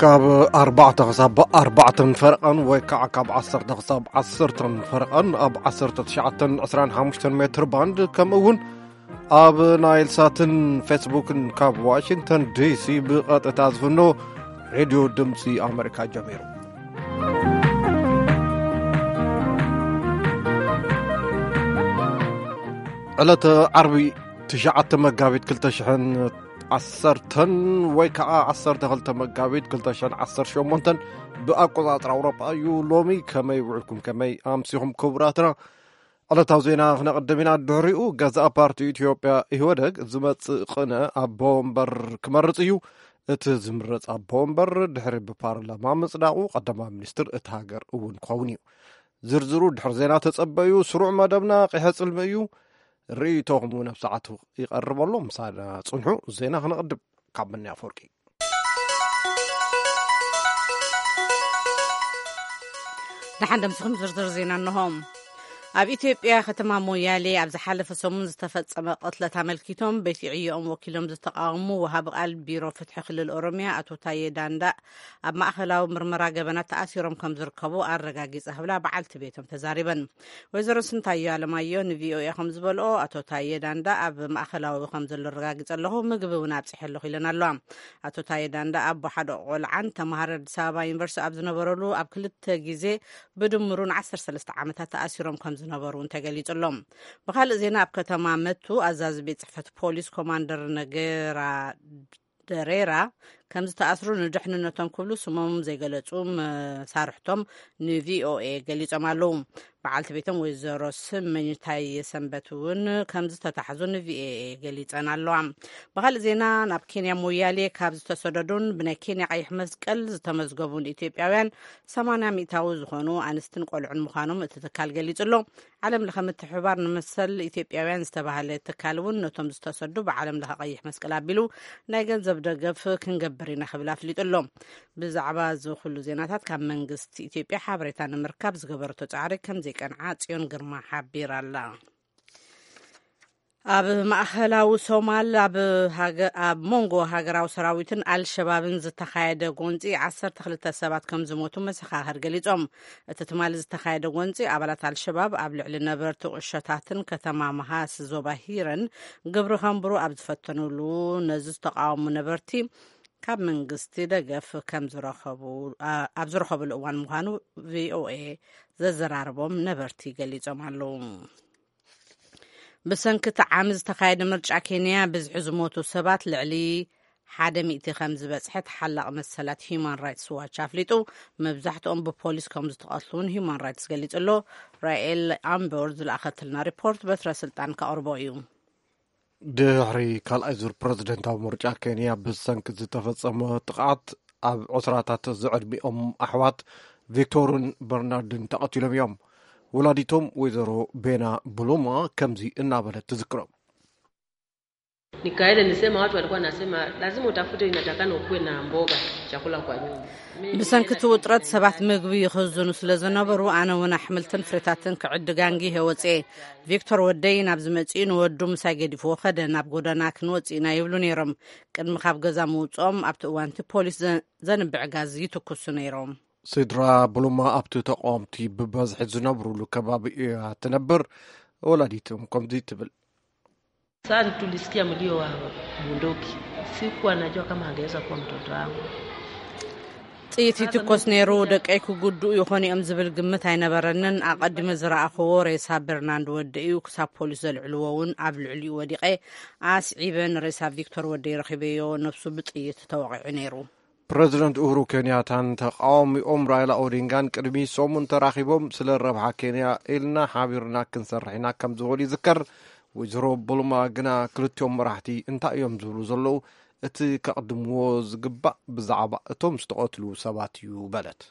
ካብ ኣርባዕተ ክሳብ ኣርባዕተን ፈረቐን ወይ ከዓ ካብ ዓሰርተ ክሳብ ዓሰርተን ፈረቐን ኣብ ዓሰርተ ትሽዓተን ዕስራን ሓሙሽተን ሜትር ባንድ፣ ከምኡ እውን ኣብ ናይል ሳትን ፌስቡክን ካብ ዋሽንግተን ዲሲ ብቐጥታ ዝፍኖ ሬድዮ ድምፂ ኣመሪካ ጀሚሩ። ዕለተ ዓርቢ ትሽዓተ መጋቢት ክልተ ሽሕን ዓሰርተን ወይ ከዓ ዓሰርተ ክልተ መጋቢት ክልተ ሽሕን ዓሰርተ ሸሞንተን ብኣቆፃፅራ ኣውሮጳ እዩ። ሎሚ ከመይ ውዕልኩም፣ ከመይ ኣምሲኹም ክቡራትና? ዕለታዊ ዜና ክነቕድም ኢና። ድሕሪኡ ገዛእ ፓርቲ ኢትዮጵያ ኢህወደግ ዝመጽእ ቅነ ኣቦ ወንበር ክመርጽ እዩ። እቲ ዝምረጽ ኣቦ ወንበር ድሕሪ ብፓርላማ ምጽዳቑ ቀዳማይ ሚኒስትር እቲ ሃገር እውን ክኸውን እዩ። ዝርዝሩ ድሕሪ ዜና ተጸበዩ። ስሩዕ መደብና ቂሐ ጽልሚ እዩ። ርእይቶኹም እውን ኣብ ሰዓቱ ይቐርብ ኣሎ። ምሳና ጽንሑ። ዜና ክነቕድም ካብ ምንያ ኣፈወርቂ። ደሓን ደምስኹም ዝርዝር ዜና እንሆ። ኣብ ኢትዮጵያ ከተማ ሞያሌ ኣብ ዝሓለፈ ሰሙን ዝተፈጸመ ቅትለት ኣመልኪቶም ቤት ዕዮኦም ወኪሎም ዝተቃወሙ ወሃቢ ቃል ቢሮ ፍትሒ ክልል ኦሮሚያ ኣቶ ታዬ ዳንዳ ኣብ ማእኸላዊ ምርመራ ገበናት ተኣሲሮም ከም ዝርከቡ ኣረጋጊጸ ክብላ በዓልቲ ቤቶም ተዛሪበን። ወይዘሮ ስንታዮ ኣለማዮ ንቪኦኤ ከም ዝበልኦ ኣቶ ታዬ ዳንዳ ኣብ ማእኸላዊ ከም ዘሎ ኣረጋጊጸ ኣለኹ፣ ምግቢ እውን ኣብጽሐ ኣለኹ ኢለን ኣለዋ። ኣቶ ታዬ ዳንዳ ኣቦ ሓደ ቆልዓን ተምሃሮ ኣዲስ ኣበባ ዩኒቨርሲቲ ኣብ ዝነበረሉ ኣብ ክልተ ግዜ ብድምሩ ን ዓሰርተ ሰለስተ ዓመታት ተኣሲሮም ከም ዝነበሩ እውን ተገሊጹ ኣሎ። ብኻልእ ዜና ኣብ ከተማ መቱ ኣዛዚ ቤት ጽሕፈት ፖሊስ ኮማንደር ነገራ ደሬራ ከም ዝተኣስሩ ንድሕንነቶም ክብሉ ስሞም ዘይገለጹ መሳርሕቶም ንቪኦኤ ገሊጾም ኣለዉ። በዓልቲ ቤቶም ወይዘሮ ስመኝታይ ሰንበት እውን ከም ዝተታሕዙ ንቪኦኤ ገሊጸን ኣለዋ። ብኻልእ ዜና ናብ ኬንያ ሞያሌ ካብ ዝተሰደዱን ብናይ ኬንያ ቀይሕ መስቀል ዝተመዝገቡን ኢትዮጵያውያን ሰማንያ ሚእታዊ ዝኾኑ ኣንስትን ቆልዑን ምዃኖም እቲ ትካል ገሊጹ ኣሎ። ዓለም ለኸ ምትሕብባር ንመሰል ኢትዮጵያውያን ዝተባህለ ትካል እውን ነቶም ዝተሰዱ ብዓለም ለኸ ቀይሕ መስቀል ኣቢሉ ናይ ገንዘብ ደገፍ ክንገብር ኢና ክብል ኣፍሊጡ ኣሎ። ብዛዕባ እዚ ኩሉ ዜናታት ካብ መንግስቲ ኢትዮጵያ ሓበሬታ ንምርካብ ዝገበረቶ ጻዕሪ ከም ዘይቀንዓ ጽዮን ግርማ ሓቢራ ኣላ። ኣብ ማእኸላዊ ሶማል ኣብ ሃገ-፣ ኣብ መንጎ ሃገራዊ ሰራዊትን ኣልሸባብን ዝተኻየደ ጎንፂ ዓሰርተ ክልተ ሰባት ከም ዝሞቱ መሰኻኽር ገሊጾም። እቲ ትማሊ ዝተኻየደ ጎንፂ ኣባላት ኣልሸባብ ኣብ ልዕሊ ነበርቲ ቁሸታትን ከተማ መሃስ ዞባ ሂረን ግብሪ ከንብሩ ኣብ ዝፈተኑሉ ነዚ ዝተቃወሙ ነበርቲ ካብ መንግስቲ ደገፍ ከም ዝረኸቡ፣ ኣ-፣ ኣብ ዝረኸብሉ እዋን ምዃኑ ቪኦኤ ዘዘራረቦም ነበርቲ ገሊጾም ኣለዉ። ብሰንኪ እቲ ዓሚ ዝተኻየደ ምርጫ ኬንያ ብዝሒ ዝሞቱ ሰባት ልዕሊ ሓደ ሚእቲ ከም ዝበጽሐ ተሓላቒ መሰላት ሂዩማን ራይትስ ዋች ኣፍሊጡ። መብዛሕትኦም ብፖሊስ ከም ዝተቐትሉ እውን ሂዩማን ራይትስ ገሊጹ ኣሎ። ራኤል ኣምቦር ዝለኣኸትልና ሪፖርት በትረ ስልጣን ከቕርቦ እዩ። ድሕሪ ካልኣይ ዙር ፕረዚደንታዊ ምርጫ ኬንያ ብሰንኪ ዝተፈጸመ ጥቕዓት ኣብ ዕስራታት ዝዕድሚኦም ኣሕዋት ቪክቶርን በርናርድን ተቐቲሎም እዮም። ወላዲቶም ወይዘሮ ቤና ብሉማ ከምዚ እናበለት ትዝክሮም። Nikaenda nisema, watu walikuwa nasema lazima utafute, inatakana ukuwe na mboga, chakula kwa nyumba. ብሰንኪ እቲ ውጥረት ሰባት ምግቢ ይኽዝኑ ስለ ዝነበሩ ኣነ እውን ኣሕምልትን ፍሬታትን ክዕድግ ኣንጊሀ ወፅኤ። ቪክቶር ወደይ ናብ ዝመፅኡ ንወዱ ምሳይ ገዲፍዎ ከደ። ናብ ጎደና ክንወፅእ ኢና ይብሉ ነይሮም። ቅድሚ ካብ ገዛ ምውፅኦም ኣብቲ እዋንቲ ፖሊስ ዘ-፣ ዘንብዕ ጋዝ ይትኩሱ ነይሮም። ስድራ ብሉማ ኣብቲ ተቃወምቲ ብበዝሒ ዝነብሩሉ ከባቢ እያ ትነብር። ወላዲቶም ከምዚ ትብል። Sasa tulisikia mlio wa bunduki. Sikuwa najua kama angeweza kuwa mtoto wangu. ጥይት ይትኮስ ነይሩ፣ ደቀይ ክጉድኡ ይኾኑ እዮም ዝብል ግምት ኣይነበረንን። ኣቐዲመ ዝረኣኽዎ ሬሳ በርናንድ ወደ እዩ። ክሳብ ፖሊስ ዘልዕልዎ እውን ኣብ ልዕሊኡ ወዲቐ ኣስዒበ ንሬሳ ቪክቶር ወደይ ረኺበዮ። ነብሱ ብጥይት ተወቒዑ ነይሩ። ፕረዚደንት ኡሁሩ ኬንያታን ተቃዋሚኦም ራይላ ኦዲንጋን ቅድሚ ሰሙን ተራኺቦም ስለ ረብሓ ኬንያ ኢልና ሓቢርና ክንሰርሕ ኢና ከም ዝበሉ ይዝከር። ወይዘሮ ቡሉማ ግና ክልቲኦም መራሕቲ እንታይ እዮም ዝብሉ ዘለዉ? እቲ ከቕድምዎ ዝግባእ ብዛዕባ እቶም ዝተቐትሉ ሰባት እዩ በለት።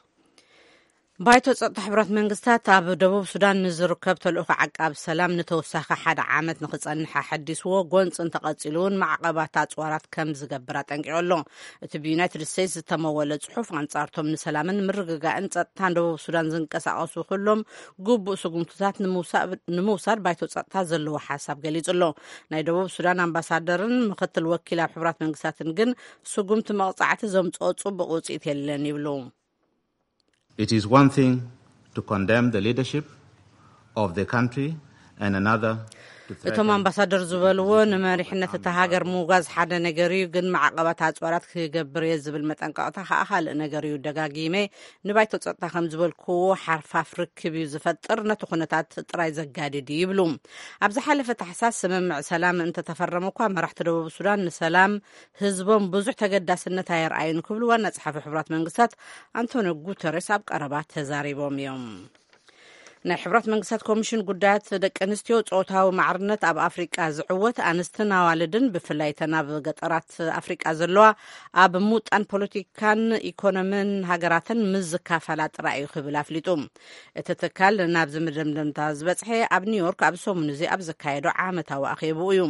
ባይቶ ጸጥታ ሕቡራት መንግስታት ኣብ ደቡብ ሱዳን ንዝርከብ ተልእኾ ዓቃብ ሰላም ንተወሳኺ ሓደ ዓመት ንኽጸንሕ ኣሐዲስዎ፣ ጎንጺ እንተቐጺሉ እውን ማዕቐባት ኣጽዋራት ከም ዝገብር ኣጠንቂቑ ኣሎ። እቲ ብዩናይትድ ስቴትስ ዝተመወለ ጽሑፍ፣ ኣንጻርቶም ንሰላምን ምርግጋእን ጸጥታን ደቡብ ሱዳን ዝንቀሳቐሱ ኩሎም ግቡእ ስጉምትታት ንምውሳ-፣ ንምውሳድ ባይቶ ጸጥታ ዘለዎ ሓሳብ ገሊጹ ኣሎ። ናይ ደቡብ ሱዳን ኣምባሳደርን ምኽትል ወኪል ኣብ ሕቡራት መንግስታትን ግን ስጉምቲ መቕጻዕቲ ዘምጽኦ ጽቡቕ ውጽኢት የለን ይብሉ። It is one thing to condemn the leadership of the country and another to threaten እቶም ኣምባሳደር ዝበልዎ፣ ንመሪሕነት እታ ሃገር ምውጋዝ ሓደ ነገር እዩ፣ ግን ማዕቐባት ኣጽዋራት ክገብር እየ ዝብል መጠንቀቕታ ከኣ ካልእ ነገር እዩ። ደጋጊመ ንባይቶ ጸጥታ ከም ዝበልክዎ፣ ሓርፋፍ ርክብ እዩ ዝፈጥር፣ ነቲ ኩነታት ጥራይ ዘጋድድ እዩ ይብሉ። ኣብ ዝሓለፈ ታሕሳስ ስምምዕ ሰላም እንተተፈረመ እኳ፣ መራሕቲ ደቡብ ሱዳን ንሰላም ህዝቦም ብዙሕ ተገዳስነት ኣየርኣዩን ክብሉ ዋና ጸሓፊ ሕቡራት መንግስታት ኣንቶኒዮ ጉተሬስ ኣብ ቀረባ ተዛሪቦም እዮም። ናይ ሕቡራት መንግስታት ኮሚሽን ጉዳያት ደቂ ኣንስትዮ፣ ጾታዊ ማዕርነት ኣብ ኣፍሪቃ ዝዕወት፣ ኣንስትን ኣዋልድን፣ ብፍላይ እተን ኣብ ገጠራት ኣፍሪቃ ዘለዋ፣ ኣብ ምውጣን ፖለቲካን ኢኮኖምን ሃገራተን ምስ ዝካፈላ ጥራይ እዩ ክብል ኣፍሊጡ። እቲ ትካል ናብዚ መደምደምታ ዝበጽሐ ኣብ ኒውዮርክ ኣብ ሰሙን እዚ ኣብ ዘካየዶ ዓመታዊ ኣኼብኡ እዩ።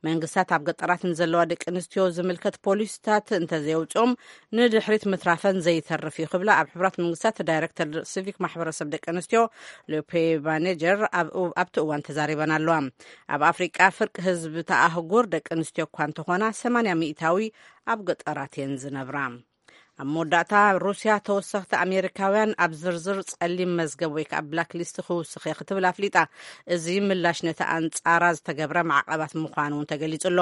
መንግስታት ኣብ ገጠራት ንዘለዋ ደቂ ኣንስትዮ ዝምልከት ፖሊሲታት እንተዘየውጽኦም፣ ንድሕሪት ምትራፈን ዘይተርፍ እዩ ክብላ ኣብ ሕቡራት መንግስታት ዳይሬክተር ሲቪክ ማሕበረሰብ ደቂ ኣንስትዮ ሎፔ ባኔጀር ኣብ፣ ኣብቲ እዋን ተዛሪበን ኣለዋ። ኣብ ኣፍሪቃ ፍርቂ ህዝቢ እታ ኣህጉር ደቂ ኣንስትዮ እኳ እንተኾና፣ ሰማንያ ሚእታዊ ኣብ ገጠራት እየን ዝነብራ። ኣብ መወዳእታ፣ ሩስያ ተወሰኽቲ ኣሜሪካውያን ኣብ ዝርዝር ጸሊም መዝገብ ወይ ከዓ ብላክ ሊስት ክውስኽ እየ ክትብል ኣፍሊጣ። እዚ ምላሽ ነቲ ኣንጻራ ዝተገብረ ማዕቐባት ምዃኑ እውን ተገሊጹ ኣሎ።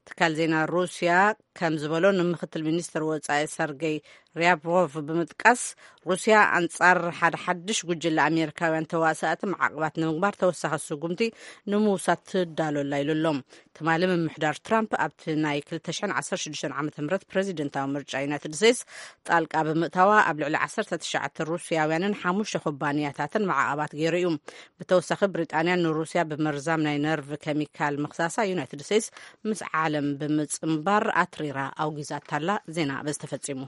ትካል ዜና ሩስያ ከም ዝበሎ፣ ንምክትል ሚኒስትር ወጻኢ ሰርጌይ ሪያብሮቭ ብምጥቃስ፣ ሩስያ ኣንጻር ሓደ ሓድሽ ጉጅለ ኣሜሪካውያን ተዋሳእቲ ማዕቐባት ንምግባር ተወሳኺ ስጉምቲ ንምውሳድ ትዳሎ ኣላ ኢሉ ኣሎ። ትማሊ ምምሕዳር ትራምፕ ኣብቲ ናይ ክልተ ሽሕን ዓሰርተ ሽዱሽተን ዓመተ ምህረት ፕረዚደንታዊ ምርጫ ዩናይትድ ስቴትስ ጣልቃ ብምእታዋ፣ ኣብ ልዕሊ ዓሰርተ ትሽዓተ ሩስያውያንን ሓሙሽተ ኩባንያታትን ማዕቐባት ገይሩ እዩ። ብተወሳኺ፣ ብሪጣንያ ንሩስያ ብመርዛም ናይ ነርቭ ኬሚካል ምኽሳሳ ዩናይትድ ስቴትስ ምስ ዓለም ብምጽንባር ኣትሪራ ኣውጊዛታላ። ዜና በዚ ተፈጺሙ።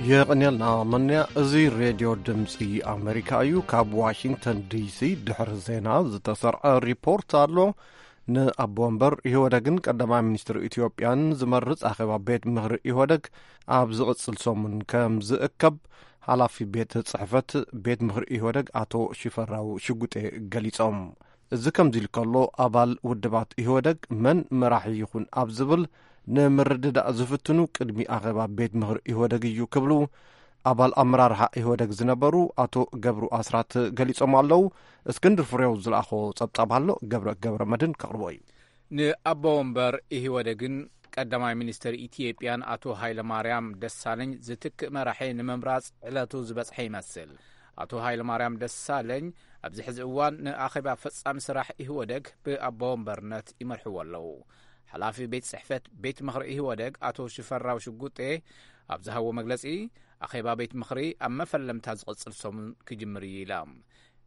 የቐንየልና መንያ። እዚ ሬድዮ ድምፂ ኣሜሪካ እዩ። ካብ ዋሽንግተን ዲሲ ድሕሪ ዜና ዝተሰርዐ ሪፖርት ኣሎ። ንኣቦ ወንበር ኢህወደግን ቀዳማይ ሚኒስትር ኢትዮጵያን ዝመርጽ ኣኼባ ቤት ምኽሪ ኢህወደግ ኣብ ዝቕጽል ሰሙን ከም ዝእከብ ሓላፊ ቤት ጽሕፈት ቤት ምኽሪ ኢህወደግ ኣቶ ሽፈራው ሽጉጤ ገሊጾም። እዚ ከምዚ ኢሉ ከሎ፣ ኣባል ውድባት ኢህወደግ መን መራሒ ይኹን ኣብ ዝብል ንምርድዳእ ዝፍትኑ ቅድሚ ኣኼባ ቤት ምኽሪ ኢህወደግ እዩ ክብሉ ኣባል ኣመራርሓ ኢህወደግ ዝነበሩ ኣቶ ገብሩ ኣስራት ገሊጾም ኣለዉ። እስክንድር ፍሬው ዝለኣኾ ጸብጻብ ኣሎ፣ ገብረ፣ ገብረ መድህን ከቕርቦ እዩ። ንኣቦ ወንበር ኢህወደግን ቀዳማይ ሚኒስትር ኢትዮጵያን ኣቶ ሃይለማርያም ደሳለኝ ዝትክእ መራሒ ንምምራጽ ዕለቱ ዝበጽሐ ይመስል። ኣቶ ሃይለማርያም ደሳለኝ ኣብዚ ሕዚ እዋን ንኣኼባ ፈጻሚ ስራሕ ኢህወደግ ብኣቦ ወንበርነት ይመርሕዎ ኣለዉ። ሓላፊ ቤት ጽሕፈት ቤት ምኽሪ ኢህወደግ ኣቶ ሽፈራው ሽጉጤ ኣብ ዝሃቦ መግለጺ፣ ኣኼባ ቤት ምኽሪ ኣብ መፈለምታ ዝቕጽል ሰሙን ክጅምር እዩ ኢላ።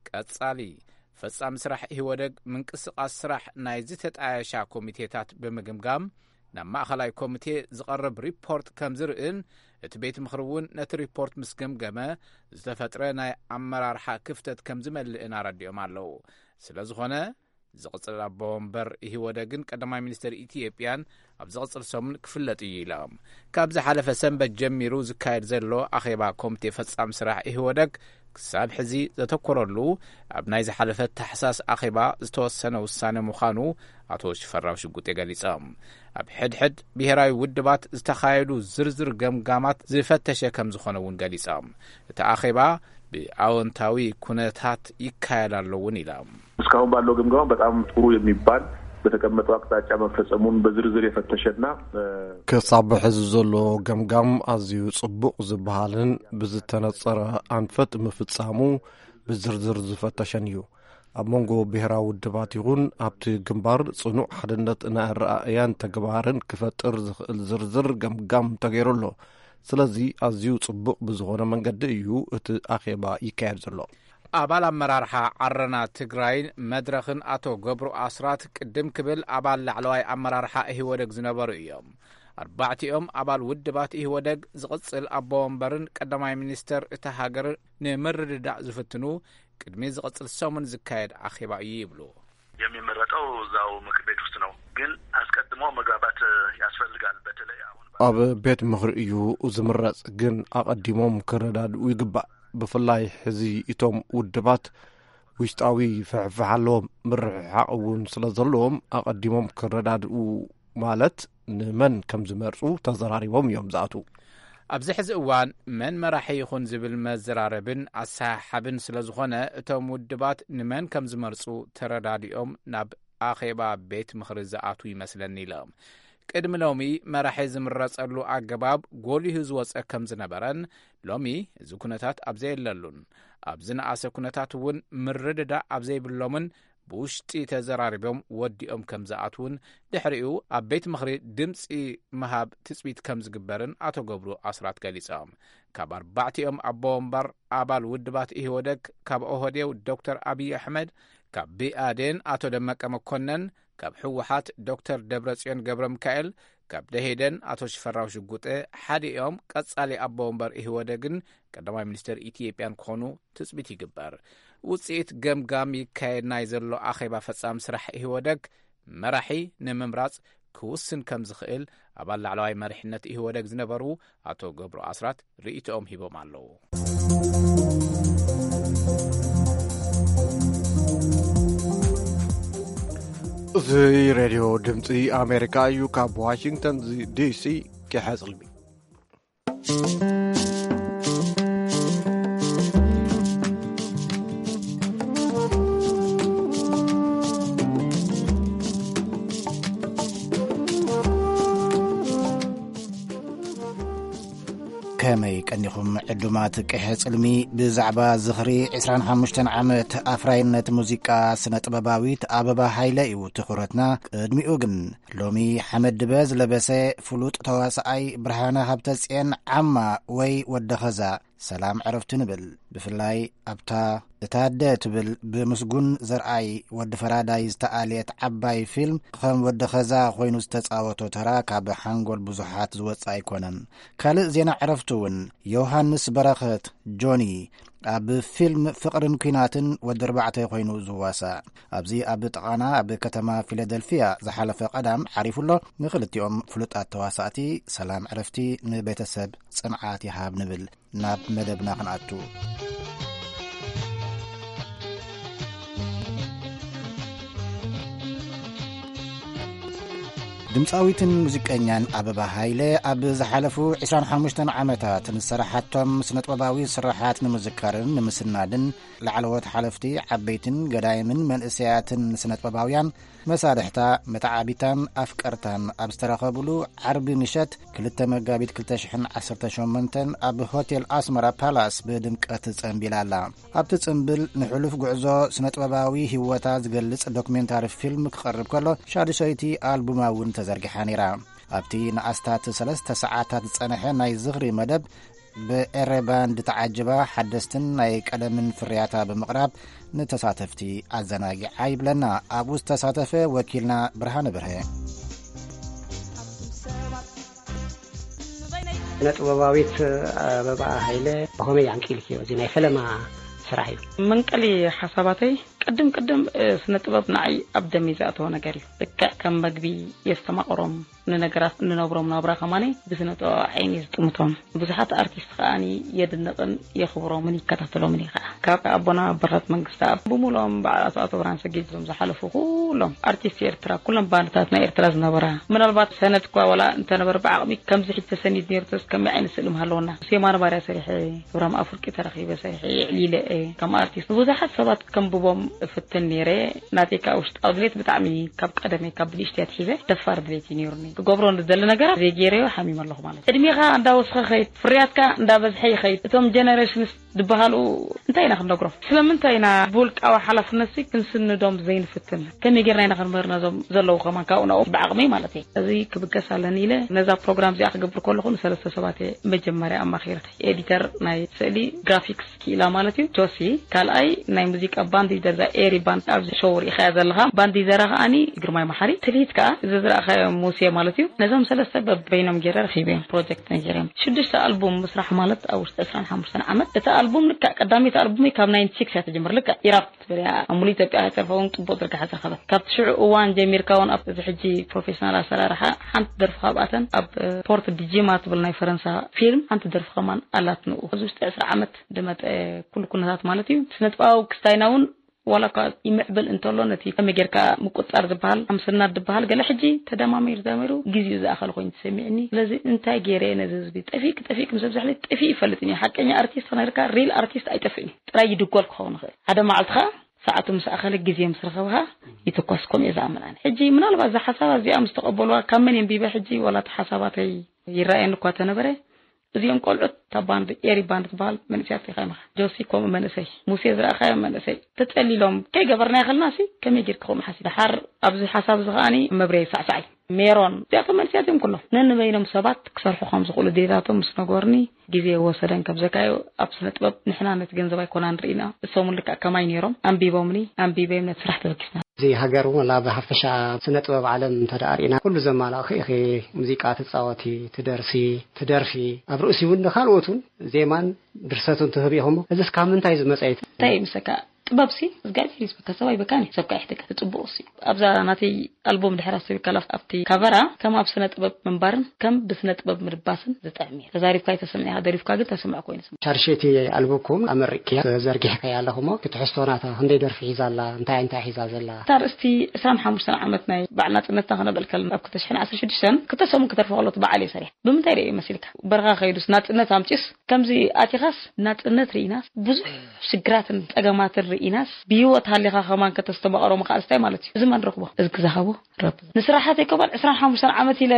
ቀጻሊ ፈጻሚ ስራሕ ኢህወደግ ምንቅስቓስ ስራሕ ናይ ዝተጣየሻ ኮሚቴታት ብምግምጋም፣ ናብ ማእኸላይ ኮሚቴ ዝቐርብ ሪፖርት ከም ዝርእን፣ እቲ ቤት ምኽሪ እውን ነቲ ሪፖርት ምስ ገምገመ፣ ዝተፈጥረ ናይ ኣመራርሓ ክፍተት ከም ዝመልእን ኣረዲኦም ኣለዉ። ስለ ዝኾነ፣ ዝቕጽል ኣቦ ወንበር ኢህወደግን ቀዳማይ ሚኒስትር ኢትዮጵያን ኣብ ዝቕጽል ሰሙን ክፍለጥ እዩ ኢሎም። ካብ ዝሓለፈ ሰንበት ጀሚሩ ዝካየድ ዘሎ ኣኼባ ኮሚቴ ፈጻሚ ስራሕ ኢህወደግ ክሳብ ሕዚ ዘተኮረሉ፣ ኣብ ናይ ዝሓለፈ ታሕሳስ ኣኼባ ዝተወሰነ ውሳነ ምዃኑ ኣቶ ሽፈራው ሽጉጤ ገሊጾም። ኣብ ሕድሕድ ብሄራዊ ውድባት ዝተኻየዱ ዝርዝር ገምጋማት ዝፈተሸ ከም ዝኾነ እውን ገሊጾም። እቲ ኣኼባ ብኣወንታዊ ኩነታት ይካየድ ኣሎ እውን ኢሎም። እስካሁን ባለው ግምገማ በጣም ጥሩ የሚባል፣ በተቀመጠው አቅጣጫ መፈጸሙን በዝርዝር የፈተሸና፣ እ፣ ክሳብ ሕዚ ዘሎ ገምጋም ኣዝዩ ጽቡቕ ዝበሃልን ብዝተነጸረ ኣንፈት ምፍጻሙ ብዝርዝር ዝፈተሸን እዩ። ኣብ መንጎ ብሄራዊ ውድባት ይኹን ኣብቲ ግንባር ጽኑዕ ሓድነት ናይ ኣረኣእያን ተግባርን ክፈጥር ዝኽእል ዝርዝር ገምጋም ተገይሩ ኣሎ። ስለዚ ኣዝዩ ጽቡቕ ብዝኾነ መንገዲ እዩ እቲ ኣኼባ ይካየድ ዘሎ። ኣባል ኣመራርሓ ዓረና ትግራይን መድረኽን ኣቶ ገብሩ ኣስራት ቅድም ክብል ኣባል ላዕለዋይ ኣመራርሓ ኢህወደግ ዝነበሩ እዮም። ኣርባዕቲኦም ኣባል ውድባት ኢህወደግ ዝቕጽል ኣቦ ወንበርን ቀዳማይ ሚኒስተር እታ ሃገር ንምርድዳእ ዝፍትኑ ቅድሚ ዝቕጽል ሰሙን ዝካየድ ኣኼባ እዩ ይብሉ። የሚመረጠው እዛው ምክር ቤት ውስጥ ነው። ግን አስቀድሞ መግባባት ያስፈልጋል። በተለይ አሁን ኣብ ቤት ምኽሪ እዩ ዝምረጽ፣ ግን ኣቐዲሞም ክረዳድኡ ይግባእ። ብፍላይ ሕዚ እቶም ውድባት ውሽጣዊ ፍሕፍሕ ኣለዎም፣ ምርሕሓቕ እውን ስለ ዘለዎም ኣቐዲሞም ክረዳድኡ፣ ማለት ንመን ከም ዝመርጹ ተዘራሪቦም እዮም ዝኣትዉ። ኣብዚ ሕዚ እዋን መን መራሒ ይኹን ዝብል መዘራረብን ኣሰሓሓብን ስለ ዝኾነ፣ እቶም ውድባት ንመን ከም ዝመርጹ ተረዳዲኦም ናብ ኣኼባ ቤት ምኽሪ ዝኣትዉ ይመስለኒ ኢለ። ቅድሚ ሎሚ መራሒ ዝምረጸሉ ኣገባብ ጎሊሁ ዝወጸ ከም ዝነበረን፣ ሎሚ እዚ ኩነታት ኣብ ዘየለሉን ኣብ ዝነኣሰ ኩነታት እውን ምርድዳእ ኣብ ዘይብሎምን ብውሽጢ ተዘራሪቦም ወዲኦም ከም ዝኣትዉን ድሕሪኡ ኣብ ቤት ምኽሪ ድምፂ ምሃብ ትፅቢት ከም ዝግበርን ኣቶ ገብሩ ኣስራት ገሊፆም። ካብ ኣርባዕቲኦም ኣቦ ወንበር ኣባል ውድባት ኢህወደግ፣ ካብ ኦህዴው ዶክተር ኣብይ ኣሕመድ፣ ካብ ብኣዴን ኣቶ ደመቀ መኮነን፣ ካብ ህወሓት ዶክተር ደብረፅዮን ገብረ ሚካኤል፣ ካብ ደሄደን ኣቶ ሽፈራው ሽጉጤ ሓደ እዮም ቀጻሊ ኣቦ ወንበር ኢህወደግን ቀዳማይ ሚኒስትር ኢትዮጵያን ክኾኑ ትጽቢት ይግበር። ውጽኢት ገምጋም ይካየድ ናይ ዘሎ ኣኼባ ፈጻሚ ስራሕ ኢህወደግ መራሒ ንምምራጽ ክውስን ከም ዝኽእል ኣባል ላዕለዋይ መሪሕነት ኢህወደግ ዝነበሩ ኣቶ ገብሩ ኣስራት ርእይቶኦም ሂቦም ኣለዉ። እዚ ሬድዮ ድምፂ ኣሜሪካ እዩ። ካብ ዋሽንግተን ዲሲ ኪሓ ጽልሚ። ከመይ ቀኒኹም ዕዱማት ቅሐ ጽልሚ? ብዛዕባ ዝኽሪ ዕስራን ሓሙሽተን ዓመት ኣፍራይነት ሙዚቃ ስነ ጥበባዊት ኣበባ ሃይለ እዩ ትኹረትና። ቅድሚኡ ግን ሎሚ ሓመድ ድበ ዝለበሰ ፍሉጥ ተዋስኣይ ብርሃነ ሃብተጽየን ዓማ ወይ ወዲ ኸዛ ሰላም ዕረፍቱ ንብል። ብፍላይ ኣብታ እታ ኣደ ትብል ብምስጉን ዘርኣይ ወዲ ፈራዳይ ዝተኣልየት ዓባይ ፊልም ከም ወዲ ኸዛ ኮይኑ ዝተጻወቶ ተራ ካብ ሓንጎል ብዙሓት ዝወጽእ ኣይኮነን። ካልእ ዜና ዕረፍቱ እውን ዮሃንስ በረኸት ጆኒ ኣብ ፊልም ፍቕርን ኲናትን ወዲ ኣርባዕተ ኮይኑ ዝዋሳእ። ኣብዚ ኣብ ጥቓና ኣብ ከተማ ፊላደልፊያ ዝሓለፈ ቀዳም ዓሪፉ ኣሎ። ንኽልቲኦም ፍሉጣት ተዋሳእቲ ሰላም ዕረፍቲ፣ ንቤተሰብ ጽንዓት ይሃብ ንብል። ናብ መደብና ክንኣቱ። ድምፃዊትን ሙዚቀኛን ኣበባ ሃይለ ኣብ ዝሓለፉ ዕስራን ሓሙሽተን ዓመታት ንዝሰራሓቶም ስነጥበባዊ ስራሓት ንምዝካርን ንምስናድን ላዕለዎት ሓለፍቲ ዓበይትን ገዳይምን መንእሰያትን ስነጥበባውያን መሳርሕታ፣ መተዓቢታን ኣፍቀርታን ኣብ ዝተረኸብሉ ዓርቢ ምሸት ክልተ መጋቢት ክልተ ሽሕን ዓሰርተ ሸሞንተን ኣብ ሆቴል ኣስመራ ፓላስ ብድምቀት ጸንቢላ ኣላ። ኣብቲ ጽንብል ንሕሉፍ ጉዕዞ ስነጥበባዊ ህይወታ ዝገልጽ ዶክሜንታሪ ፊልም ክቐርብ ከሎ፣ ሻዱሸይቲ ኣልቡማ እውን ተዘርጊሓ ነይራ። ኣብቲ ንኣስታት ሰለስተ ሰዓታት ዝጸንሐ ናይ ዝኽሪ መደብ፣ ብኤረ ባንድ ተዓጅባ ሓደስትን ናይ ቀደምን ፍርያታ ብምቕራብ ንተሳተፍቲ ኣዘናጊዓ ይብለና ኣብኡ ዝተሳተፈ ወኪልና ብርሃነ በርሀ። ስነ ጥበባዊት ኣበባ ሃይለ ብኸመይ ኣንቂልክዮ? እዚ ናይ ፈለማ ስራሕ እዩ። መንቀሊ ሓሳባተይ ቅድም ቅድም ስነ ጥበብ ንዓይ ኣብ ደመይ ዝኣተወ ነገር እዩ። ልክዕ ከም መግቢ የስተማቕሮም፣ ንነገራት እንነብሮም ናብራ ከማኒ ብስነ ጥበብ ዓይኒ ዝጥምቶም። ብዙሓት ኣርቲስት ከኣኒ የድንቕን የኽብሮምን ይከታተሎምን እየ ከኣ። ካብ ኣቦና በረኸት መንግስተኣብ ብምሉኦም በዓል ኣቶ ኣቶ ብርሃን ሰጊድ እዞም ዝሓለፉ ኩሎም ኣርቲስት ኤርትራ፣ ኩሎም ባንድታት ናይ ኤርትራ ዝነበራ፣ ምናልባት ሰነድ እኳ ዋላ እንተነበረ ብዓቕሚ ከምዚ ሕጂ ተሰኒድ ነይሩ ተስ ከመይ ዓይነት ስእሊ ምሃለወና። ምስ የማነ ባርያ ሰሪሐ፣ እብራም ኣፍርቂ ተራኺበ ሰሪሐ፣ የዕሊለ እየ ከም ኣርቲስት። ብዙሓት ሰባት ከንብቦም እፍትን ነይረ። ናተይ ከዓ ውሽጣዊ ድሌት ብጣዕሚ ካብ ቀደመይ ካብ ብንእሽተይ ኣትሒዘ ደፋር ድሌት እዩ ነይሩኒ። ክገብሮ ንደሊ ነገራት ዘይገይረዮ ሓሚመ ኣለኹ ማለት እዩ። ዕድሜኻ እንዳወስኸ ኸይድ፣ ፍርያትካ እንዳበዝሐ ይኸይድ። እቶም ጀነሬሽንስ ዝበሃሉ እንታይ ኢና ክንነግሮም? ስለምንታይ ኢና ብውልቃዊ ሓላፍነት ሲ ክንስንዶም ዘይንፍትን? ከመይ ጌርና ኢና ክንምህር ነዞም ዘለዉ ከማን ካብኡ ናብኦም ብዓቕመይ ማለት እየ። እዚ ክብገስ ኣለኒ ኢለ ነዛ ፕሮግራም እዚኣ ክገብር ከለኹ ንሰለስተ ሰባት እየ መጀመርያ ኣማኺረ። ኤዲተር ናይ ስእሊ፣ ግራፊክስ ክኢላ ማለት እዩ ጆሲ፣ ካልኣይ ናይ ሙዚቃ ባንድ ይዘርዛ ኤሪ ባንድ ኣብዚ ሾው ርኢኻያ ዘለኻ ባንድ ይዘራ ከዓኒ ግርማይ መሓሪ፣ ትልሂት ከዓ እዚ ዝረእኻዮ ሙሴ ማለት እዩ። ነዞም ሰለስተ በበይኖም ገይረ ረኺበዮም ፕሮጀክት ነጊረዮም። ሽዱሽተ ኣልቡም ምስራሕ ማለት ኣብ ውሽጢ ዕስራን ሓሙሽተን ዓመት። እቲ ኣልቡም ልክዕ ቀዳመይቲ ኣልቡም ካብ ናይንቲ ሲክስ እያ ትጅምር። ልክዕ ኢራፕ ትብል እያ። ኣብ ሙሉእ ኢትዮጵያ ከይተርፈ እውን ጽቡቕ ዝርግሐ ዝረኸበት። ካብቲ ሽዑ እዋን ጀሚርካ እውን ኣብ እዚ ሕጂ ፕሮፌሽናል ኣሰራርሓ ሓንቲ ደርፊ ካብኣተን ኣብ ፖርት ዲጂማ ትብል ናይ ፈረንሳ ፊልም ሓንቲ ደርፊ ከማን ኣላት ንኡ። ኣብዚ ውሽጢ ዕስራ ዓመት ዝመጠ ኩሉ ኩነታት ማለት እዩ። ስነጥበባዊ ክስታይና እውን ዋላ እኳ ይምዕብል እንተሎ ነቲ ከመይ ጌርካ ምቁጻር ዝበሃል ኣምስናድ ዝበሃል ገለ ሕጂ ተደማሚሩ ተደማሚሩ ግዜኡ ዝኣኸለ ኮይኑ ተሰሚዕኒ። ስለዚ እንታይ ገይረ ነዚ ህዝቢ ጠፊእክ ጠፊእክ ምስ ኣብዛሕለይ ጠፊእ ይፈልጥን እዩ። ሓቀኛ ኣርቲስት ክነግርካ ሪል ኣርቲስት ኣይጠፍእን እዩ። ጥራይ ይድጎል ክኸውን ይኽእል። ሓደ መዓልቲ ኸዓ ሰዓቱ ምስ ኣኸለ ግዜ ምስ ረኸብኻ ይትኮስ፣ ከምኡ እየ ዝኣምን ኣነ። ሕጂ ምናልባት እዛ ሓሳብ እዚኣ ምስ ተቐበልዋ ካብ መን የንቢበ ሕጂ ዋላ እቲ ሓሳባተይ ይረኣየኒ እኳ ተነበረ፣ እዚኦም ቆልዑት እታ ባንድ ኤሪ ባንድ ትበሃል መንእሰያት ኢኻ ኢኻ። ጆሲ ከምኡ መንእሰይ፣ ሙሴ ዝረኣኻዮ መንእሰይ ተጸሊሎም ከይገበርና ይኸልና ሲ ከመይ ጌርካ ከምኡ ሓሲብ? ደሓር ኣብዚ ሓሳብ እዚ ከኣኒ መብረይ ሳዕሳዕ እዩ። ሜሮን እዚኣቶም መንእሰያት እዮም ኩሎም። ነንበይኖም ሰባት ክሰርሑ ከም ዝኽእሉ ድሌታቶም ምስ ነገሩኒ ግዜ ወሰደን ከም ዘካዮ ኣብ ስነ ጥበብ ንሕና ነቲ ገንዘብ ኣይኮናን ርኢና እሶም ልክዕ ከማይ ነይሮም ኣንቢቦምኒ ኣንቢበዮም ነቲ ስራሕ ተበጊስና። እዚ ሃገር እውን ወላ ብሓፈሻ ስነ ጥበብ ዓለም እንተ ደኣ ርኢና ኩሉ ዘማላእኺ ኢኺ። ሙዚቃ ትጻወቲ፣ ትደርሲ፣ ትደርፊ፣ ኣብ ርእሲ እውን ንኻልኦት እውን ዜማን ድርሰትን ትህብ ኢኹሞ። እዚስ ካብ ምንታይ ዝመጸ እዩ? እንታይ ይምሰካ? ጥበብሲ እግዚኣብሔር ይስበካ፣ ሰብ ኣይበካን እዩ፣ ሰብ ከዓ ይሕተካ። ጽቡቕ ሲ ኣብዛ ናተይ ኣልቦም ድሕር ኣሰቢካ ኣብቲ ካቨራ ከም ኣብ ስነ ጥበብ ምንባርን ከም ብስነ ጥበብ ምድባስን ዝጥዕም እዩ። ተዛሪብካ ኣይተሰምዕ ኢኻ፣ ደሪፍካ ግን ተሰምዕ ኮይኑ ስምዕ። ሻርሸይቲ ኣልቦኩም ኣመሪቅያ ዘርጊሕካያ ኣለኹሞ ክትሕዝቶ ናታ ክንደይ ደርፊ ሒዛ ኣላ? እንታይ እንታይ ሒዛ ዘላ? እታ ኣርእስቲ ዕስራን ሓሙሽተን ዓመት ናይ በዓል ናጽነትና ክነብዕል ከለና ኣብ ክልተ ሽሕን ዓሰርተ ሽዱሽተን ክልተ ሰሙን ክተርፍ ከሎ እቲ በዓል እየ ሰሪሐ። ብምንታይ ርእየ መሲልካ? በረኻ ከይዱስ ናጽነት ኣምጺኡስ ከምዚ ኣቲኻስ ናጽነት ርኢናስ ብዙሕ ሽግራትን ጸገማትን ርኢናስ ብህይወት ሃሊኻ ከማን ከተስተማቕሮ ምኽኣል ስታይ ማለት እዩ። እዚ መን ረኽቦ? እዚ ክዛኸቦ ረብ ንስራሓተይ ከማን ዕስራን ሓሙሽተን ዓመት ኢለ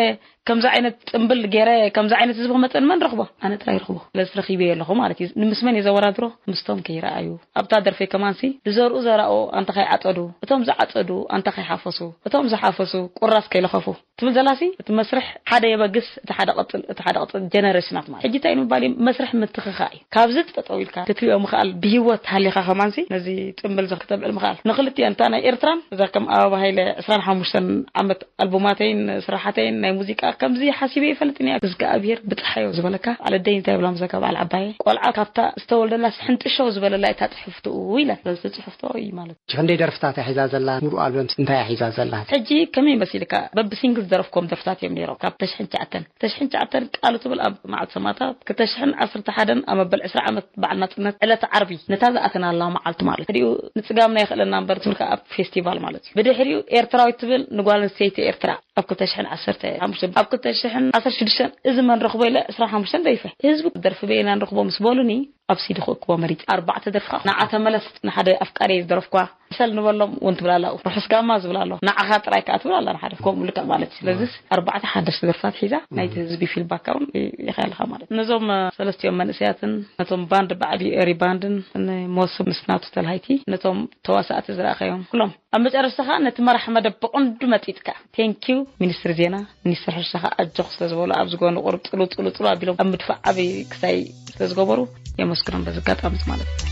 ከምዚ ዓይነት ጽምብል ገይረ ከምዚ ዓይነት ህዝቢ ክመጸኒ መን ረኽቦ? ኣነ ጥራይ ረኽቦ። ስለዚ ረኺበዮ ኣለኹ ማለት እዩ። ንምስመን እየ ዘወዳድሮ? ምስቶም ከይረኣዩ ኣብታ ደርፈይ ከማንሲ ዝዘርኡ ዘራኡ ኣንታ ከይዓጸዱ፣ እቶም ዝዓጸዱ ኣንታ ከይሓፈሱ፣ እቶም ዝሓፈሱ ቁራስ ከይለኸፉ ትብል ዘላሲ እቲ መስርሕ ሓደ የበግስ፣ እቲ ሓደ ቀጽል፣ እቲ ሓደ ቀጽል ጀነሬሽናት ማለት ሕጂ እንታይ ንምባል እዩ? መስርሕ ምትኽኻእ እዩ። ካብዚ ጠጠው ኢልካ ክትሪኦ ምኽኣል ብህይወት ሃሊኻ ከማንሲ ነዚ ጽምብል ዘክተብዕል ምኽኣል ንክልቲኦ እንታ ናይ ኤርትራን እዛ ከም ኣበባ ሃይለ ዕስራን ሓሙሽተን ዓመት ኣልቡማተይን ስራሓተይን ናይ ሙዚቃ ከምዚ ሓሲበ ይፈልጥን እያ። እግዚኣብሔር ብፀሓዮ ዝበለካ ዓለደይ እንታይ ብላ ምዘካ በዓል ዓባየ ቆልዓ ካብታ ዝተወልደላ ስሕንጥሾ ዝበለላ እታ ፅሕፍትኡ ኢለን በዚ ፅሕፍቶ እዩ ማለት እዩ። ክንደይ ደርፍታት እያ ሒዛ ዘላ? ሙሉእ ኣልበም እንታይ እያ ሒዛ ዘላ? ሕጂ ከመይ መሲልካ በቢ ሲንግል ዝደረፍኮም ደርፍታት እዮም ነይሮም ካብ ተሽሕን ትሽዓተን ተሽሕን ትሽዓተን ቃሉ ትብል ኣብ መዓልቲ ሰማእታት ክልተ ሽሕን ዓሰርተ ሓደን ኣብ መበል ዕስራ ዓመት በዓል ናጽነት ዕለት ዓርቢ ነታ ዝኣተናላ መዓልቲ ማለት ድዩ ንጽጋምና ይኽእለና እምበር ትብል ከኣ ኣብ ፌስቲቫል ማለት እዩ። ብድሕሪኡ ኤርትራዊት ትብል ንጓል ኣንስተይቲ ኤርትራ ኣብ ክልተ ሽሕን ዓሰርተ ሓሙሽተ ኣብ ክልተ ሽሕን ዓሰርተ ሽዱሽተ እዚ መን ረኽቦ ኢለ ዕስራን ሓሙሽተን ደሪፈ። ህዝቢ ደርፊ በየና ንረኽቦ ምስ በሉኒ ኣብ ሲዲ ክእክቦ መሪጸ። ኣርባዕተ ደርፊ ከኣ ንዓ ተመለስ ንሓደ ኣፍቃሪ ዝደረፍኳ ሰል ንበሎም እውን ትብል ኣላ። ርሑስ ጋማ ዝብል ኣሎ። ንዓኻ ጥራይ ከኣ ትብል ኣላ ንሓደ። ከምኡ ልክዕ ማለት እዩ። ስለዚስ ኣርባዕተ ሓደሽቲ ደርፍታት ሒዛ ናይቲ ህዝቢ ፊድባክ እውን ኢኻ ኣለኻ ማለት እዩ። ነዞም ሰለስቲኦም መንእሰያትን ነቶም ባንድ ብዓብዩ ኤሪ ባንድን ንመወስብ ምስ ናቱ ተልሃይቲ ነቶም ተዋሳእቲ ዝረኣኻዮም ኩሎም ኣብ መጨረሽታ ከኣ ነቲ መራሕ መደብ ብቐንዱ መጢጥካ ቴንኪው ሚኒስትሪ ዜና ሚኒስትር ሕርሻ ከኣ ኣጆኽ ስለ ዝበሉ ኣብዚ ጎኒ ቁሩብ ጥሉ ጥሉ ጥሉ ኣቢሎም ኣብ ምድፋእ ዓብዪ ክሳይ ስለ ዝገበሩ የመስግኖም በዚ ኣጋጣሚ ማለት እዩ።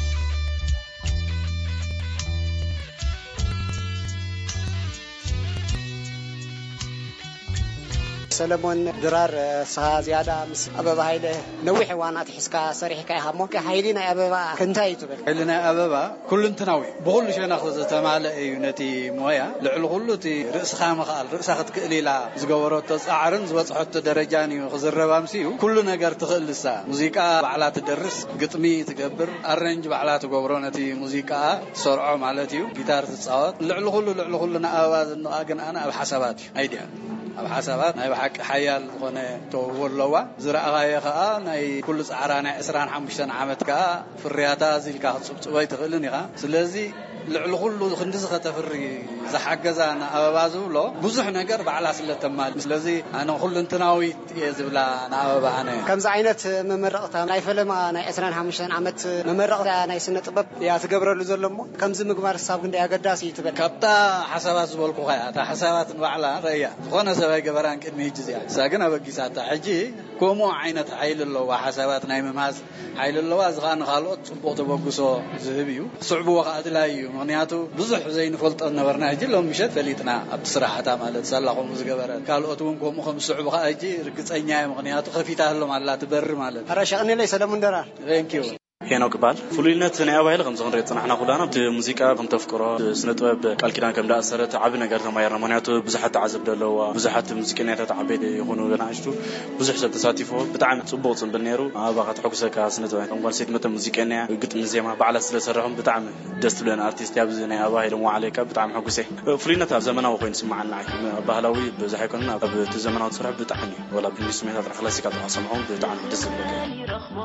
ሰለሞን ድራር እስኻ ዝያዳ ምስ ኣበባ ሃይለ ነዊሕ እዋን ኣትሒዝካ ሰሪሕካ ኢኻ እሞ ሓይሊ ናይ ኣበባ እንታይ እዩ ትብል? ሓይሊ ናይ ኣበባ ኩልንትናዊ ብኹሉ ሸነኽ ዝተማልአ እዩ። ነቲ ሞያ ልዕሊ ኩሉ እቲ ርእስኻ ምኽኣል ርእሳ ክትክእል ኢላ ዝገበረቶ ጻዕርን ዝበጽሐቶ ደረጃን እዩ ክዝረብ ኣምስዩ። ኩሉ ነገር ትኽእል ንሳ። ሙዚቃ ባዕላ ትደርስ፣ ግጥሚ ትገብር፣ ኣረንጅ ባዕላ ትገብሮ ነቲ ሙዚቃኣ ትሰርዖ ማለት እዩ። ጊታር ትጻወት። ልዕሊ ኩሉ ልዕሊ ኩሉ ንኣበባ ዘድንቓ ግን ኣነ ኣብ ሓሳባት እዩ። ኣይድያ ኣብ ሓሳባት ናይ ብሓቂ ሓያል ዝኾነ ተውህቦ ኣለዋ። ዝረኣኻዮ ከኣ ናይ ኩሉ ጻዕራ ናይ ዕስራን ሓሙሽተን ዓመት ከኣ ፍርያታ እዚ ኢልካ ክትጽብጽቦ ኣይትኽእልን ኢኻ። ስለዚ ልዕሊ ኩሉ ክንድዚ ከተፍሪ ዝሓገዛ ንኣበባ ዝብሎ ብዙሕ ነገር ባዕላ ስለ ተማል። ስለዚ ኣነ ኩልንትናዊት እየ ዝብላ ንኣበባ ኣነ። ከምዚ ዓይነት መመረቕታ ናይ ፈለማ ናይ ዕስራን ሓሙሽተን ዓመት መመረቕታ ናይ ስነ ጥበብ እያ ትገብረሉ ዘሎ እሞ ከምዚ ምግባር ክሳብ ክንደይ ኣገዳሲ እዩ ትብል? ካብታ ሓሳባት ዝበልኩኻ እያ። እታ ሓሳባት ንባዕላ ረእያ። ዝኾነ ሰብ ኣይገበራን ቅድሚ ሕጂ እዚኣ። እሳ ግን ኣበጊሳታ። ሕጂ ከምኡ ዓይነት ሓይሊ ኣለዋ። ሓሳባት ናይ ምምሃዝ ሓይሊ ኣለዋ። እዚ ኸኣ ንኻልኦት ጽቡቕ ተበግሶ ዝህብ እዩ። ስዕብዎ ኸኣ ኣድላዪ እዩ። ምኽንያቱ ብዙሕ ዘይንፈልጦ ነበርና። ሕጂ ሎም ምሸት ፈሊጥና ኣብቲ ስራሓታ ማለት ሳላ ከምኡ ዝገበረ። ካልኦት እውን ከምኡ ከም ዝስዕቡ ኸኣ ሕጂ ርግጸኛ እየ። ምኽንያቱ ከፊታሎም ኣላ ትበሪ ማለት። ኣረ ሸቕኒለይ ሰለሙን ደራር። Thank you። ሄኖክ ይበሃል። ፍሉይነት ናይ ኣባይለ ከምዚ ክንሪኦ ዝጸናሕና ኩላና ኣብቲ ሙዚቃ ከም ተፍቅሮ፣ ስነ ጥበብ ቃል ኪዳን ከም ደኣሰረት ዓቢ ነገር ተማሂርና። ምኽንያቱ ብዙሓት ተዓዘብቲ ኣለዋ፣ ብዙሓት ሙዚቀኛታት ዓበይቲ ይኹኑ ንኣሽቱ ብዙሕ ሰብ ተሳቲፎ። ብጣዕሚ ጽቡቕ ጽምብል ነይሩ። ኣበባ ከተሐጉሰካ ስነ ጥበብ ከም ጓል ሰይቲ መጠን ሙዚቀኛ እያ። ግጥሚ ዜማ ባዕላ ስለ ዝሰርሖም ብጣዕሚ ደስ ትብለን ኣርቲስት እያ። ኣብዚ ናይ ኣበባ ኢሎም ወዓለይካ ብጣዕሚ ሕጉሰ። ፍሉይነት ኣብ ዘመናዊ ኮይኑ ይስምዓኒ ንዓይ። ኣብ ባህላዊ ብዙሕ ኣይኮነን፣ ኣብ እቲ ዘመናዊ ትሰርሖ ብጣዕሚ እዩ። ወላ ብእንግሊዝ ስሜታት ክላሲካል ጥራሕ ሰምዖም ብጣዕሚ ደስ ዝብለካ። ይረኽቦ፣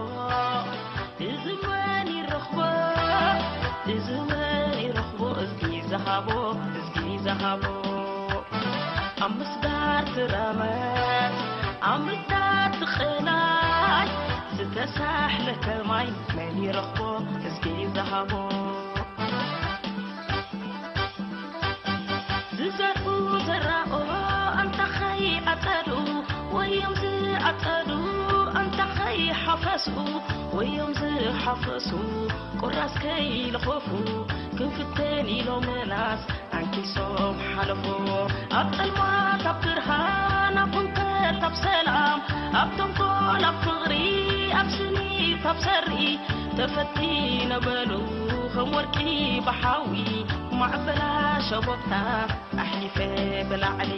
እዚ መን ይረኽቦ፣ እዚ መን ይረኽቦ፣ እዝጊ ዝሃቦ፣ እዝጊ ዝሃቦ። ኣብ ምስዳር ትረመት፣ ኣብ ምስዳር ትቕላይ፣ ዝተሳሕለ ከማይ መን ይረኽቦ፣ እዝጊ ዝሃቦ። ዝዘርኡ ዘራኦ ኣንታ ኸይዓጸዱ፣ ወዮም ዝዓጸዱ ኣንታ ኸይሓፈሱ፣ ወዮም ዝሓፈሱ ቁራስ ከይልኸፉ፣ ክንፍተን ኢሎም ምላስ ኣንኪሶም ሓለፉ። ኣብ ጸልማት ኣብ ብርሃን፣ ኣብ ህንከት ኣብ ሰላም፣ ኣብ ተንኮል ኣብ ፍቕሪ፣ ኣብ ስኒት ኣብ ሰሪ፣ ተፈቲነ በሉ ከም ወርቂ ብሓዊ፣ ማዕበላ ሸቦብታ ኣሕሊፈ ብላዕሊ።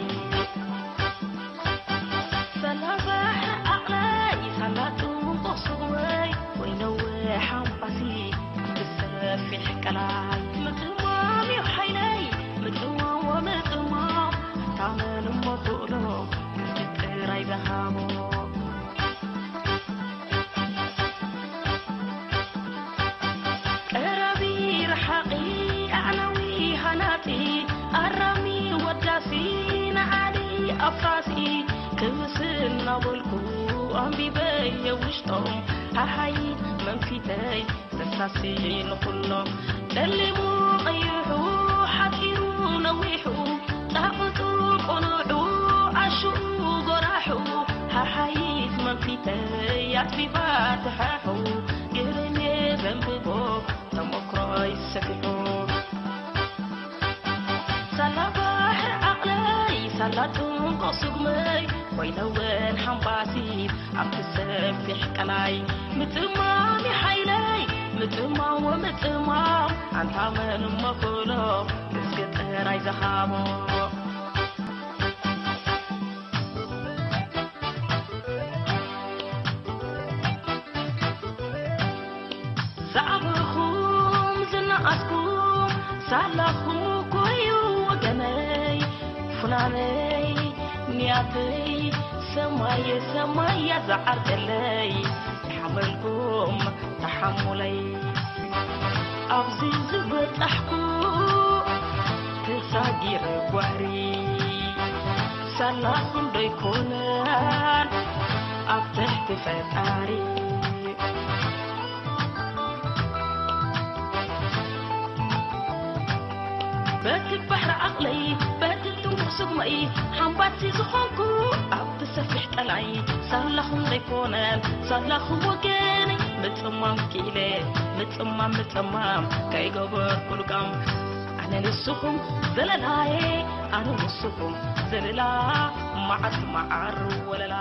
ሳላ ባሕሪ ዓቕለይ፣ ሳላ ጥንቁቕ ስጉመይ፣ ወይ ነዊሕ ሓምባሲ፣ ብሰፊሕ ቀላይ። ምጥማም እዩ ሓይለይ፣ ምጥማም ወምጥማም፣ ኣንታ መን እሞ ክእሎ፣ እስኪ ጥራይ ዝሃቦ። ቀራቢ ረሓቒ ኣዕናዊ ሃናጺ ኣራሚ ወዳሲ ንዓሊ ኣፍራሲ ክምስ እናበልኩ ኣንቢበየ ውሽጦም ሓሓይ መንፊተይ ዘሳሲ ንኹሎም ጸሊሙ ቀይሑ ሓጺሩ ነዊሑ ጻቕጡ ቁኑዑ ዓሹ ጎራሑ ሓሓይት መንፊተይ ኣጽቢባ ትሓሑ ግርሜ ዘንብቦ ተመክሮይ ሰፊሑ ሳላ ባሕሪ ዓቕለይ ሳላ ጥንቆ ስጉመይ ኮይነወን ሓምባሲት ኣብቲ ሰፊሕ ቀላይ ምጥማም ሓይለይ ምጥማም ወምጥማም ኣንታ መን እሞ ክእሎ እስኪ ጥራይ ዝሃቦ ዝዓበኹም ዝነኣስኩም ሳላኹም እኮ እዩ ወገነይ ፍናነይ ንያተይ ሰማየ ሰማያ ዝዓርቀለይ ይሓመልኩም ተሓሙለይ ኣብዚ ዝበጻሕኩ ተሳጊረ ጓህሪ ሳላኹም ዶ ይኮነን ኣብ ትሕቲ ፈጣሪ በቲ ባሕሪ ዓቕለይ በቲ ጥንቁቕ ስጉመይ ሓምባሲ ዝኾንኩ ኣብቲ ሰፊሕ ቀላይ ሳላኹም ዘይኮነን ሳላኹም ወገነይ ምጽማም ክኢለ ምጽማም ምጽማም ከይገበርኩ ልቃም ኣነ ንስኹም ዘለላየ ኣነ ንስኹም ዘለላ መዓት መዓር ወለላ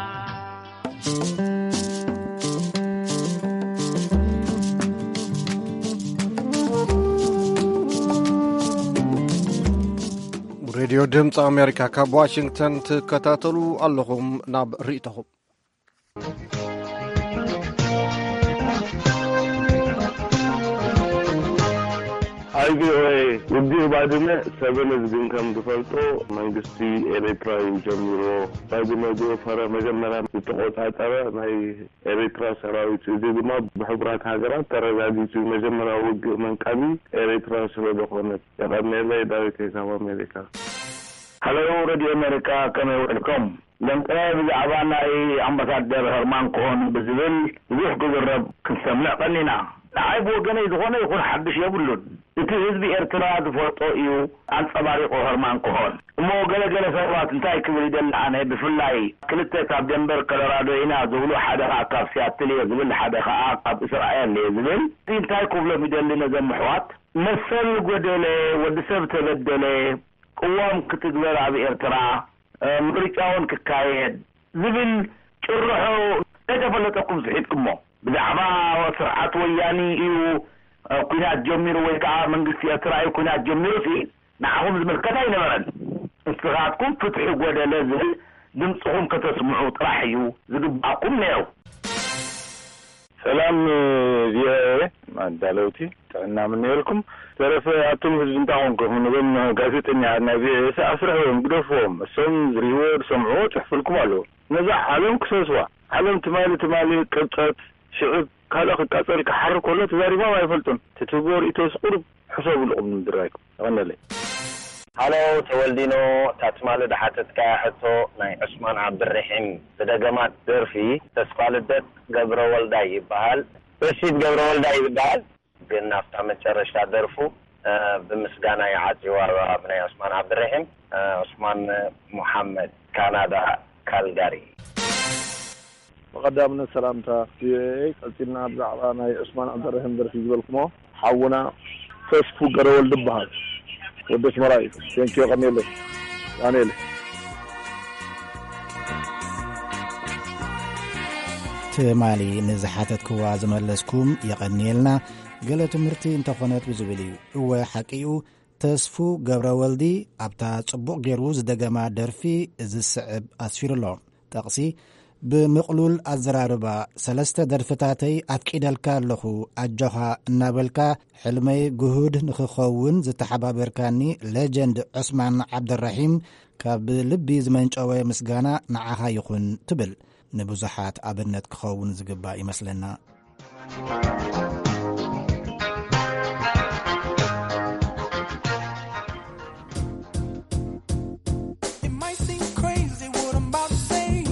ሬድዮ ድምፂ ኣሜሪካ ካብ ዋሽንግተን ትከታተሉ ኣለኹም። ናብ ርእይቶኹም ኣይ ቪኦኤ፣ ውግእ ባድመ ሰበን ህዝብን ከም ዝፈልጦ መንግስቲ ኤርትራ እዩ ጀሚርዎ። ባድመ ዝወፈረ፣ መጀመርያ ዝተቆጻጸረ ናይ ኤርትራ ሰራዊት እዩ። እዚ ድማ ብሕቡራት ሃገራት ተረጋጊጹ እዩ። መጀመርያ ውግእ መንቀቢ ኤርትራ ስለ ዝኾነት። የቐንየለይ፣ ዳዊት ሄሳብ ኣሜሪካ። ሃሎ፣ ሬድዮ ኣሜሪካ፣ ከመይ ውዕልኩም? ለንቀ ብዛዕባ ናይ ኣምባሳደር ሀርማን ኮሆን ብዝብል ብዙሕ ክዝረብ ክንሰምዕ ቀኒና። ንዓይ ብወገነይ ዝኾነ ይኹን ሓድሽ የብሉን። እቲ ህዝቢ ኤርትራ ዝፈልጦ እዩ ኣንጸባሪቑ ሀርማን ኮሆን። እሞ ገለ ገለ ሰባት እንታይ ክብል ይደሊ ኣነ፣ ብፍላይ ክልተ ካብ ደንቨር ኮሎራዶ ኢና ዝብሉ፣ ሓደ ኸኣ ካብ ሲያትል እየ ዝብል፣ ሓደ ኸኣ ካብ እስራኤል እየ ዝብል። እዚ እንታይ ክብሎም ይደሊ ነዞም ኣሕዋት? መሰል ጎደለ፣ ወዲ ሰብ ተበደለ፣ ቅዋም ክትግበር ኣብ ኤርትራ፣ እ፣ ምርጫ እውን ክካየድ ዝብል ጭርሖ ከይተፈለጠኩም ስሒትኩሞ። ብዛዕባ ስርዓት ወያኒ እዩ፣ እ፣ ኲናት ጀሚሩ ወይ ከዓ መንግስቲ ኤርትራ እዩ ኲናት ጀሚሩ ሲ ንዓኹም ዝምልከት ኣይነበረን። ንስኻትኩም ፍትሒ ጎደለ ዝብል ድምፅኹም ከተስምዑ ጥራሕ እዩ ዝግባእኩም ነይሩ። ሰላም ቪኦኤ ኣዳለውቲ፣ ጥዕና ምነየልኩም። ተረፈ ኣቱም ህዝቢ እንታይ ኮንኩም? ነዞም ጋዜጠኛታት ናይ ቪኦኤ ኣስርሕዎም፣ ግደፍዎም። እሶም ዝርእይዎ ዝሰምዕዎ ጽሑፍልኩም ኣለዎ። ነዛ ዓለም ክሰስዋ። ዓለም ትማሊ ትማሊ ቅብጸት፣ ሽዕብ ካልእ ክቃጸል ክሓርር ከሎ ተዛሪቦም ኣይፈልጡን። ትትብዎ ርእይቶስ ቁሩብ ሕሰብሉ ቅድሚ ምድራይኩም። የቐንየለይ። ሃሎ ተወልዲኖ፣ እታ ትማሊ ዝሓተትካያ ሕቶ ናይ ዑስማን ዓብድረሒም ዝደገማ ደርፊ ተስፋ ልደት ገብረ ወልዳይ ይበሃል። ረሺድ ገብረ ወልዳይ ይበሃል። ግን ኣብታ መጨረሽታ ደርፉ፣ እ፣ ብምስጋና ይዓጽዋ ብናይ ዑስማን ዓብድረሒም፣ እ፣ ዑስማን ሙሓመድ፣ ካናዳ፣ ካልጋሪ። ብቐዳምነት ሰላምታ ቪኦኤ። ቀጺልና ብዛዕባ ናይ ዑስማን ዓብደረሂም ደርፊ ዝበልኩሞ፣ ሓውና ተስፉ ገረወልድ ይበሃል። ወዲ ኣስመራ እዩ። ቴንኪዮ፣ ቀኒየለይ። ዳንኤል። ትማሊ ንዝሓተትክዋ ዝመለስኩም የቐንየልና። ገለ ትምህርቲ እንተኾነት ብዝብል እዩ። እወ፣ ሓቂ እዩ። ተስፉ ገብረወልዲ ኣብታ ጽቡቕ ገይሩ ዝደገማ ደርፊ እዚ ዝስዕብ ኣስፊሩ ኣሎ። ጠቕሲ፣ ብምቕሉል ኣዘራርባ፣ ሰለስተ ደርፍታተይ ኣፍቂደልካ ኣለኹ፣ ኣጆኻ እናበልካ፣ ሕልመይ ግሁድ ንኽኸውን ዝተሓባበርካኒ ሌጀንድ ዑስማን ዓብደራሒም፣ ካብ ልቢ ዝመንጨወ ምስጋና ንዓኻ ይኹን ትብል። ንብዙሓት ኣብነት ክኸውን ዝግባእ ይመስለና። It might seem crazy what I'm about to say.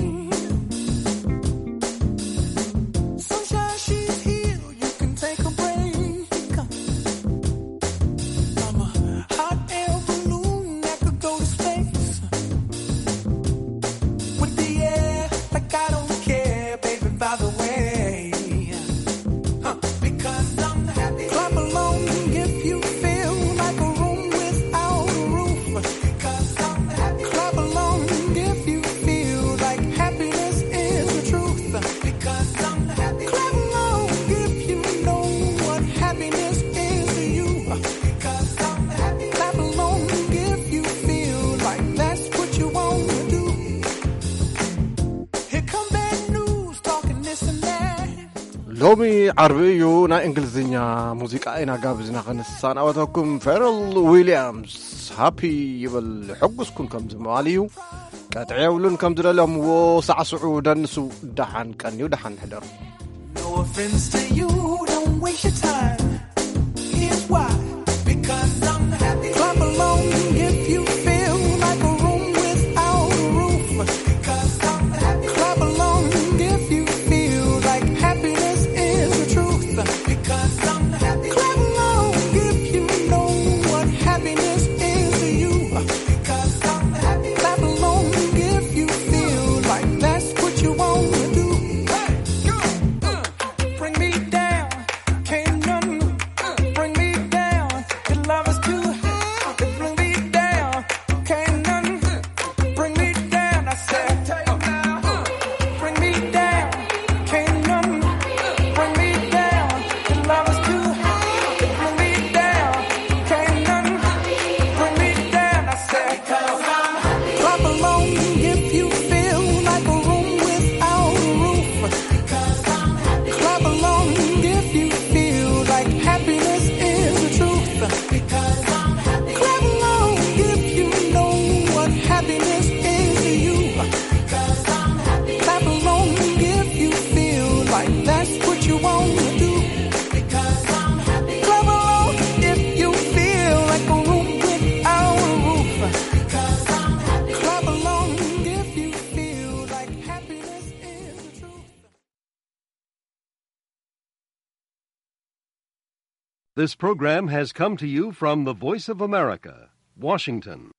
Sunshine, she's here, you can take a break. I'm a hot air balloon that could go to space. With the air, like I don't care, baby, by the way. Huh. Because I'm happy. Clap along if you feel like a room without a roof. Because I'm happy. Clap along if you feel like happiness is the truth. Because I'm happy. Clap along if you know what happiness is to you. Because I'm happy. Clap along if you feel like that's what you wanna do. Here come bad news talking this and that. ሎሚ ዓርቢ እዩ፣ ናይ እንግሊዝኛ ሙዚቃ ኢና ጋብዝና ከነሰናበተኩም። ፌረል ዊልያምስ ሃፒ ይብል፣ ሕጉስኩን ከም ዝምባል እዩ። ቀጥዒ የብሉን፣ ከም ዝደለምዎ ሳዕስዑ፣ ደንሱ። ደሓን ቀንዩ፣ ደሓን ሕደሩ። No offense to you, don't waste your time. Here's why. Because I'm happy. Clap along if you feel like a room without a roof. Because I'm happy. Clap along if you feel like happiness is the truth. Because I'm happy. Clap along if you know what happiness is to you. Because I'm happy. Clap along if you feel like that's what you wanna do. Hey, go. Bring me down, can't nothing bring me down. Your love is This program has come to you from the Voice of America, Washington.